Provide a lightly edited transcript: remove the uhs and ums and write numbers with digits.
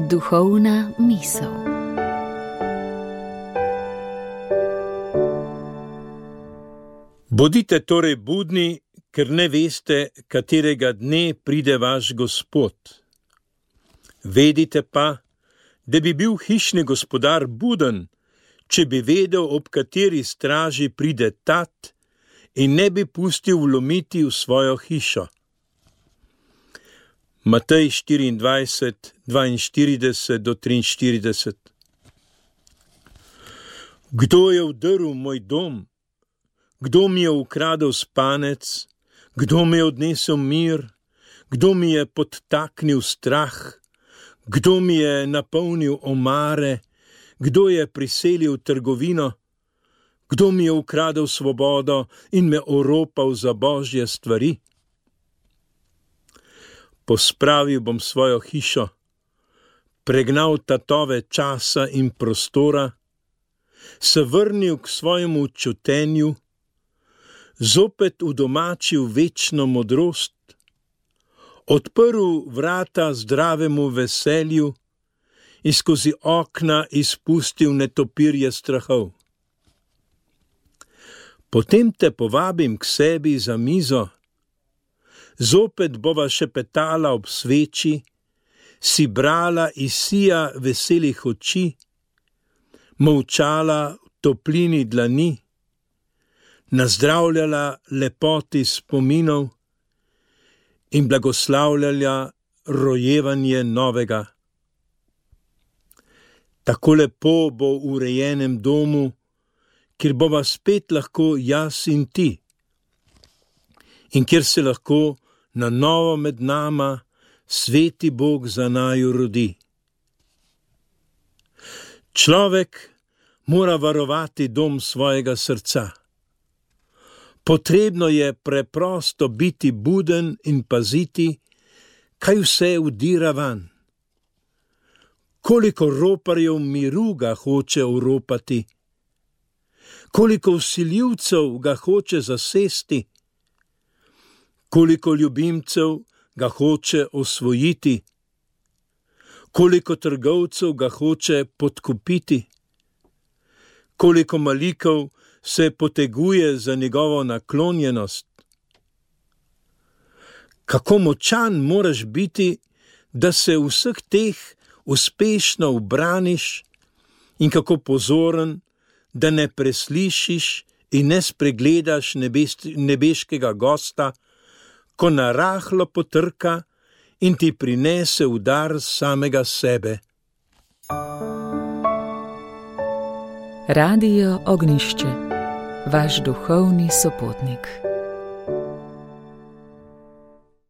Duhovna misel. Bodite torej budni, ker ne veste, katerega dne pride vaš Gospod. Vedite pa, da bi bil hišni gospodar buden, če bi vedel, ob kateri straži pride tat in ne bi pustil vlomiti v svojo hišo. Matej 24, 42 do 43. Kdo je vdrl moj dom? Kdo mi je ukradel spanec? Kdo mi je odnesel mir? Kdo mi je podtaknil strah? Kdo mi je napolnil omare? Kdo je priselil trgovino? Kdo mi je ukradel svobodo in me oropal za božje stvari? Pospravil bom svojo hišo, pregnal tatove časa in prostora, se vrnil k svojemu čutenju, zopet udomačil večno modrost, odprl vrata zdravemu veselju in skozi okna izpustil netopirje strahov. Potem te povabim k sebi za mizo, zopet bova šepetala ob sveči, si brala iz sija veselih oči, molčala v toplini dlani, nazdravljala lepoti spominov in blagoslavljala rojevanje novega. Tako lepo bo v urejenem domu, kjer bova spet lahko jaz in ti, in kjer se lahko na novo med nama sveti Bog za naju rodi. Človek mora varovati dom svojega srca. Potrebno je preprosto biti buden in paziti, kaj vse vdira van. Koliko roparjev miru ga hoče oropati, koliko vsiljivcev ga hoče zasesti, koliko ljubimcev ga hoče osvojiti, koliko trgovcev ga hoče podkupiti, koliko malikov se poteguje za njegovo naklonjenost. Kako močan moraš biti, da se vseh teh uspešno ubraniš, in kako pozoren, da ne preslišiš in ne spregledaš nebeškega gosta, ko narahlo potrka in ti prinese udar samega sebe. Radio Ognjišče, vaš duhovni sopotnik.